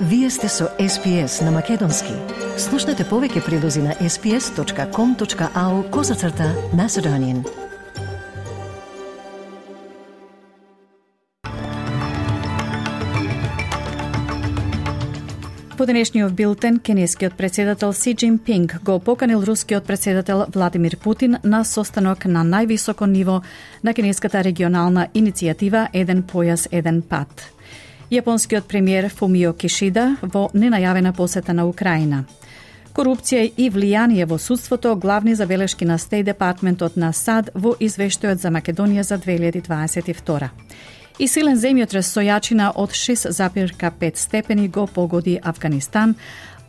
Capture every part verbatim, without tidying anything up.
Вие сте со Ес Пи Ес на Македонски. Слушнете повеќе прилози на ес пи ес точка ком точка ау козацрта Macedonian. По денешниот билтен, кинескиот председател Си Џинпинг го поканил рускиот председател Владимир Путин на состанок на највисоко ниво на кинеската регионална иницијатива Еден појас, еден пат. Јапонскиот премиер Фумио Кишида во ненајавена посета на Украина. Корупција и влијание во судството, главни забелешки на Стејт Департментот на САД во извештајот за Македонија за две илјади дваесет и втора. И силен земјотрес со јачина од шест зарез пет степени го погоди Авганистан,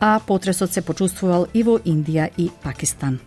а потресот се почувствувал и во Индија и Пакистан.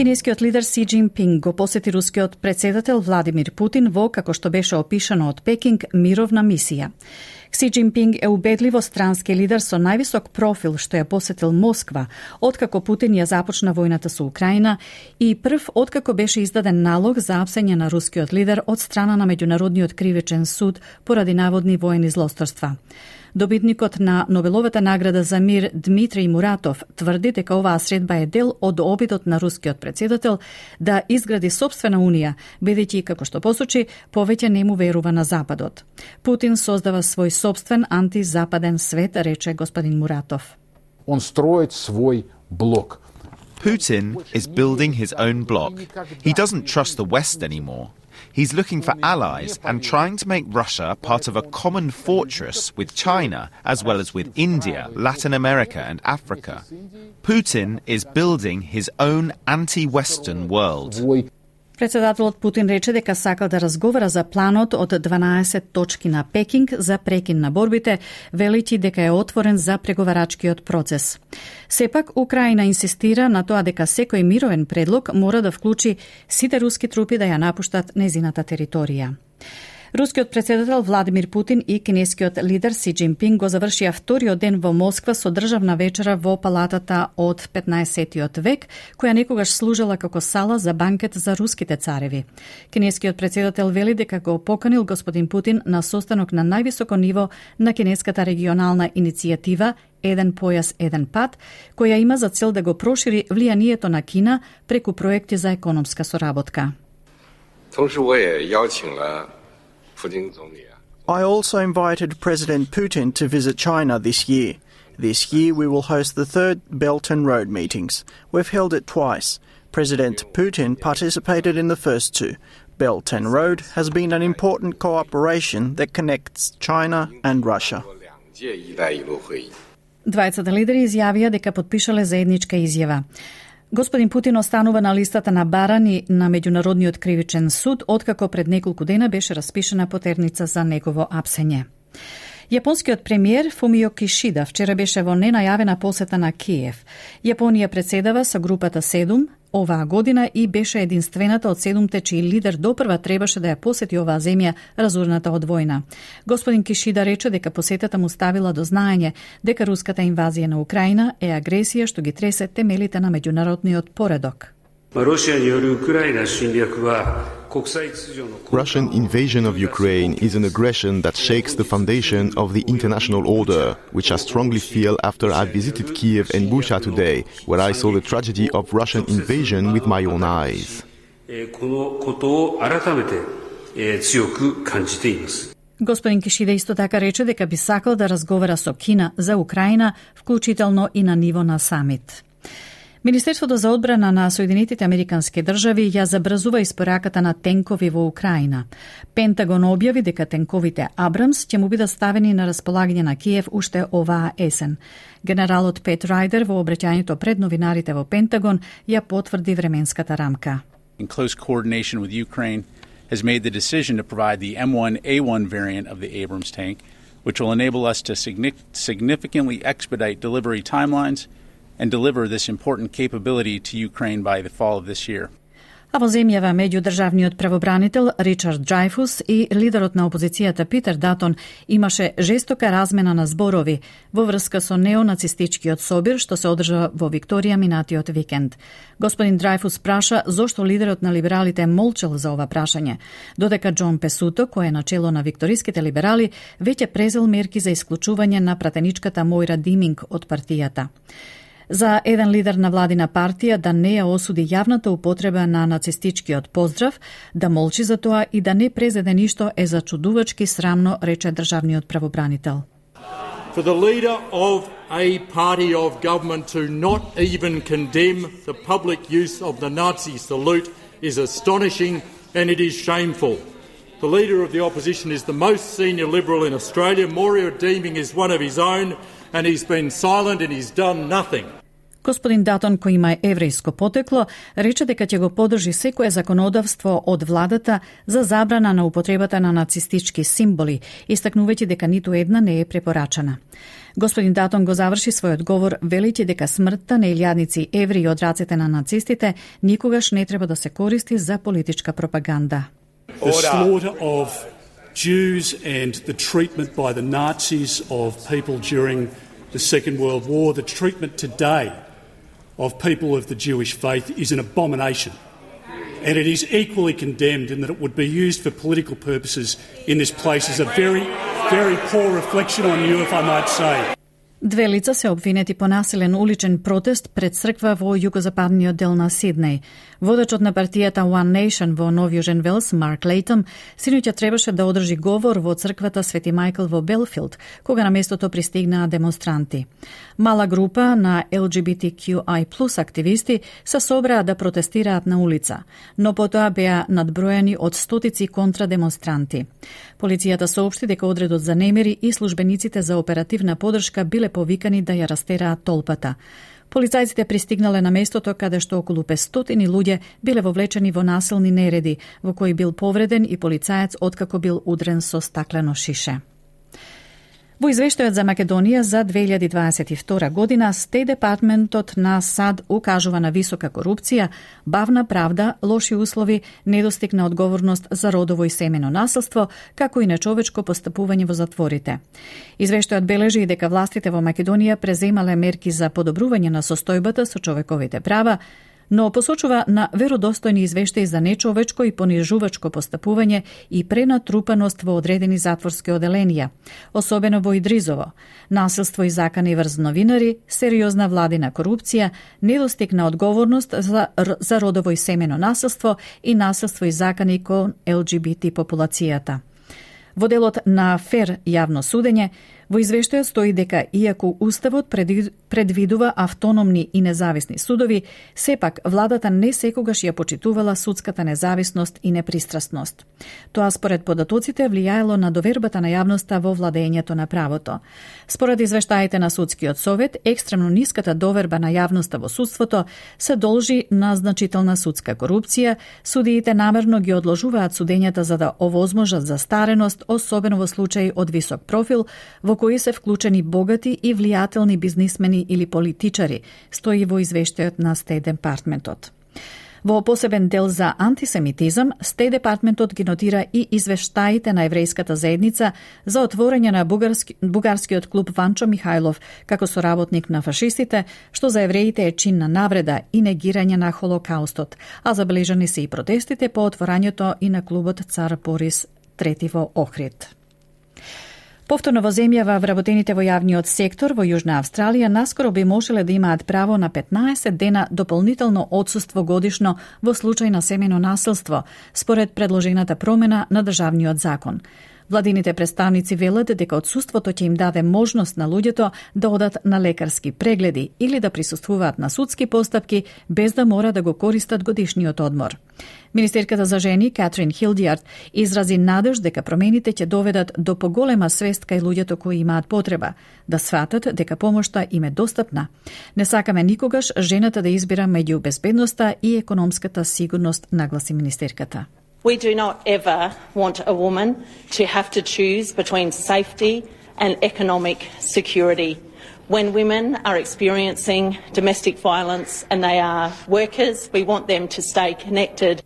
Кинескиот лидер Си Џинпинг го посети рускиот председател Владимир Путин во, како што беше опишано од Пекинг, мировна мисија. Си Џинпинг е убедливо странски лидер со највисок профил што ја посетил Москва, откако Путин ја започна војната со Украина и прв откако беше издаден налог за апсење на рускиот лидер од страна на Меѓународниот кривичен суд поради наводни воени злосторства. Добитникот на Нобеловата награда за мир Дмитрий Муратов тврди дека оваа средба е дел од обидот на рускиот председател да изгради сопствена унија, бидејќи, како што посочи, повеќе не му верува на Западот. Путин создава свој сопствен антизападен свет, рече господин Муратов. Он строит свой блок. Putin is building his own bloc. He doesn't trust the West anymore. He's looking for allies and trying to make Russia part of a common fortress with China, as well as with India, Latin America and Africa. Putin is building his own anti-Western world. Председателот Путин рече дека сака да разговара за планот од дванаесет точки на Пекинг за прекин на борбите, велики дека е отворен за преговарачкиот процес. Сепак, Украина инсистира на тоа дека секој мировен предлог мора да вклучи сите руски трупи да ја напуштат незината територија. Рускиот председател Владимир Путин и кинескиот лидер Си Џинпинг го завршија вториот ден во Москва со државна вечера во палатата од петнаесеттиот век, која некогаш служела како сала за банкет за руските цареви. Кинескиот председател вели дека го поканил господин Путин на состанок на највисоко ниво на кинеската регионална иницијатива Еден појас, еден пат, која има за цел да го прошири влијанието на Кина преку проекти за економска соработка. I also invited President Putin to visit China this year. This year we will host the third Belt and Road meetings. We've held it twice. President Putin participated in the first two. Belt and Road has been an important cooperation that connects China and Russia. Двајцата лидери изјавија дека подпишале заедничка изјава. Господин Путин останува на листата на барани на Меѓународниот кривичен суд, откако пред неколку дена беше распишена потерница за негово апсење. Јапонскиот премиер Фумио Кишида вчера беше во ненајавена посета на Киев. Јапонија председава со групата седум оваа година и беше единствената од седумте чиј лидер допрва требаше да ја посети оваа земја разорната од војна. Господин Кишида рече дека посетата му ставила до знаење дека руската инвазија на Украина е агресија што ги тресе темелите на меѓународниот поредок. Russian invasion of Ukraine is an aggression that shakes the foundation of the international order, which I strongly feel after I visited Kiev and Bucha today, where I saw the tragedy of Russian invasion with my own eyes. Господин Кишида исто така рече дека би сакал да разговара со Кина за Украина, вклучително и на ниво на самит. Министерството за одбрана на Соединетите Американски држави ја забрзува испораката на тенкови во Украина. Пентагон објави дека тенковите Абрамс ќе му бидат ставени на располагање на Киев уште оваа есен. Генералот Пет Рајдер во обраќањето пред новинарите во Пентагон ја потврди временската рамка. In close coordination with Ukraine has made the decision to provide the M one A one variant of the Abrams tank, which will enable us to significantly expedite delivery timelines and deliver this important capability to Ukraine by the fall of this year. А во земјава меѓудржавниот правобранител Ричард Дрейфус и лидерот на опозицијата Питер Датон имаше жестока размена на зборови во врска со неонацистичкиот собир што се одржа во Викторија минатиот викенд. Господин Дрейфус праша зошто лидерот на либералите молчел за ова прашање, додека Џон Песуто, кој е начело на викториските либерали, веќе презел мерки за исклучување на пратеничката Мојра Диминг од партијата. За еден лидер на владина партија да не ја осуди јавната употреба на нацистичкиот поздрав, да молчи за тоа и да не презеде ништо е зачудувачки срамно, рече државниот правобранител. For the leader of a party of government to not even condemn the public use of the Nazi salute is astonishing and it is shameful. The leader of the opposition is the most senior Liberal in Australia. Moira Deeming is one of his own and he's been silent and he's done nothing. Господин Датон, кој има еврејско потекло, рече дека ќе го поддржи секое законодавство од владата за забрана на употребата на нацистички символи, истакнувајќи дека ниту една не е препорачана. Господин Датон го заврши својот говор велејќи дека смртта на илјадници евреи од рацете на нацистите никогаш не треба да се користи за политичка пропаганда. The slaughter of Jews and the treatment by the Nazis of people during the Second World War, the treatment today of people of the Jewish faith is an abomination. And it is equally condemned in that it would be used for political purposes in this place is a very, very poor reflection on you, if I might say. Две лица се обвинети по насилен уличен протест пред црква во југозападниот дел на Сиднеј. Водачот на партијата One Nation во Нов Јужен Велс, Марк Лейтъм, синоќа требаше да одржи говор во црквата Свети Мајкл во Белфилд, кога на местото пристигнаа демонстранти. Мала група на Ел Џи Би Ти Кју Ај плюс активисти се собраа да протестираат на улица, но потоа беа надброени од стотици контрадемонстранти. Полицијата соопшти дека одредот за немири и службениците за оперативна поддршка биле повикани да ја растераат толпата. Полицајците пристигнале на местото каде што околу петстотини луѓе биле вовлечени во насилни нереди, во кои бил повреден и полицаец откако бил удрен со стаклено шише. Во извештајот за Македонија за две илјади дваесет и втора година, Стејт Департментот на САД укажува на висока корупција, бавна правда, лоши услови, недостиг на одговорност за родово и семено насилство, како и нечовечко постапување во затворите. Извештајот бележи и дека властите во Македонија преземале мерки за подобрување на состојбата со човековите права, но посочува на веродостојни извештаи за нечовечко и понижувачко постапување и пренатрупаност во одредени затворски оделенија, особено во Идризово, насилство и закани врз новинари, сериозна владина корупција, недостиг на одговорност за, за родово и семено насилство и насилство и закани кон Ел Џи Би Ти популацијата. Во делот на фер јавно судење, во извештајот стои дека, иако Уставот предвидува автономни и независни судови, сепак владата не секогаш ја почитувала судската независност и непристрасност. Тоа според податоците влијаело на довербата на јавноста во владењето на правото. Според извештаите на Судскиот совет, екстремно ниската доверба на јавноста во судството се должи на значителна судска корупција, судиите намерно ги одложуваат судењата за да овозможат застареност, особено во случаи од висок профил, во кои се вклучени богати и влијателни бизнисмени или политичари, стои во извештајот на Стејт Департментот. Во посебен дел за антисемитизам, Стејт Департментот ги нотира и извештаите на еврејската заедница за отворање на бугарски, бугарскиот клуб Ванчо Михајлов како соработник на фашистите, што за евреите е чин на навреда и негирање на Холокаустот, а забележани се и протестите по отворањето и на клубот Цар Борис трети во Охрид. Повторно во земјава, вработените во јавниот сектор во Јужна Австралија наскоро би можеле да имаат право на петнаесет дена дополнително отсуство годишно во случај на семено насилство, според предложената промена на државниот закон. Владините представници велат дека отсуството ќе им даде можност на луѓето да одат на лекарски прегледи или да присуствуваат на судски постапки без да мора да го користат годишниот одмор. Министерката за жени Катрин Хилдијард изрази надеж дека промените ќе доведат до поголема свест кај луѓето кои имаат потреба, да сватат дека помошта им е достапна. Не сакаме никогаш жената да избира меѓу безбедноста и економската сигурност, нагласи министерката. We do not ever want a woman to have to choose between safety and economic security. When women are experiencing domestic violence and they are workers, we want them to stay connected.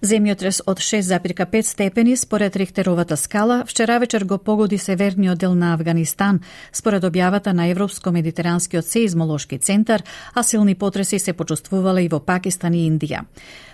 Земјотрес од шест запирка пет степени според Рихтеровата скала вчера вечер го погоди северниот дел на Авганистан, според објавата на Европско-медитеранскиот сеизмолошки центар, а силни потреси се почувствувале и во Пакистан и Индија.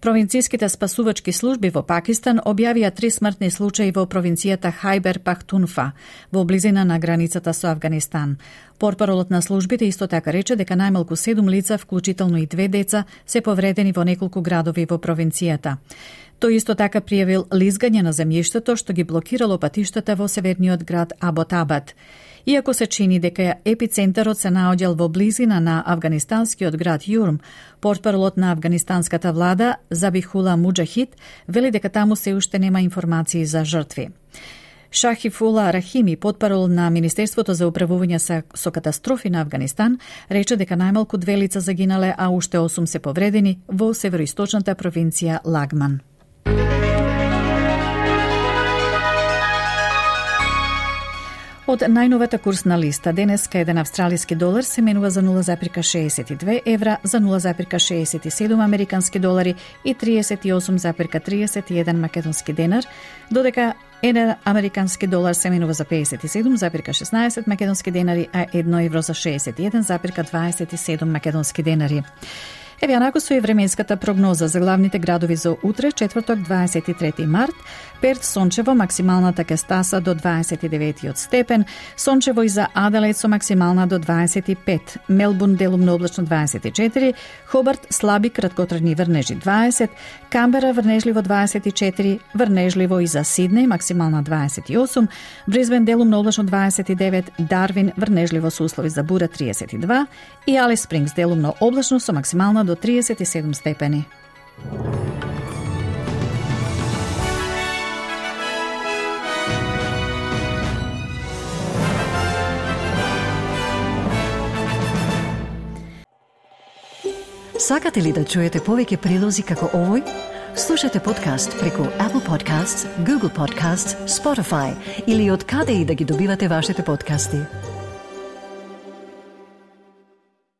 Провинцијските спасувачки служби во Пакистан објавија три смртни случаи во провинцијата Хајбер Пахтунфа, во близина на границата со Авганистан. Портпаролот на службите исто така рече дека најмалку седум лица, вклучително и две деца, се повредени во неколку градови во провинцијата. Тој исто така пријавил лизгање на земјиштето што ги блокирало патиштата во северниот град Аботабад. Иако се чини дека епицентарот се наоѓал во близина на афганистанскиот град Јурм, портпаролот на афганистанската влада Забихула Муџахид вели дека таму се уште нема информации за жртви. Шахифула Рахими, портпарол на Министерството за управување со, со катастрофи на Афганистан, рече дека најмалку две лица загинале, а уште осум се повредени во североисточната провинција Лагман. Од најновата курсна листа, денеска еден австралиски долар се менува за нула запирка шеесет и две евра, за нула запирка шеесет и седум американски долари и триесет и осум запирка триесет и еден македонски денар, додека еден американски долар се менува за пеесет и седум запирка шеснаесет македонски денари, а едно евро за шеесет и еден запирка дваесет и седум македонски денари. Еве анако со и временската прогноза за главните градови за утре, четврток, дваесет и трети март. Перт сончево, максималната ќе стаса до дваесет и деветиот степен, сончево и за Аделаид со максимална до дваесет и пет, Мелбурн делумно облачно дваесет и четири, Хобарт слаби краткотрajни врнежи дваесет, Камбера врнежливо дваесет и четири, врнежливо и за Сиднеј максимална дваесет и осум, Брисбен делумно облачно дваесет и девет, Дарвин врнежливо со услови за бура триесет и два и Алис Спрингс делумно облачно со максимална до триесет и седум степени. Сакате ли да чуете повеќе прилози како овој? Слушате подкаст преку Apple Podcasts, Google Podcasts, Spotify или од каде и да ги добивате вашите подкасти.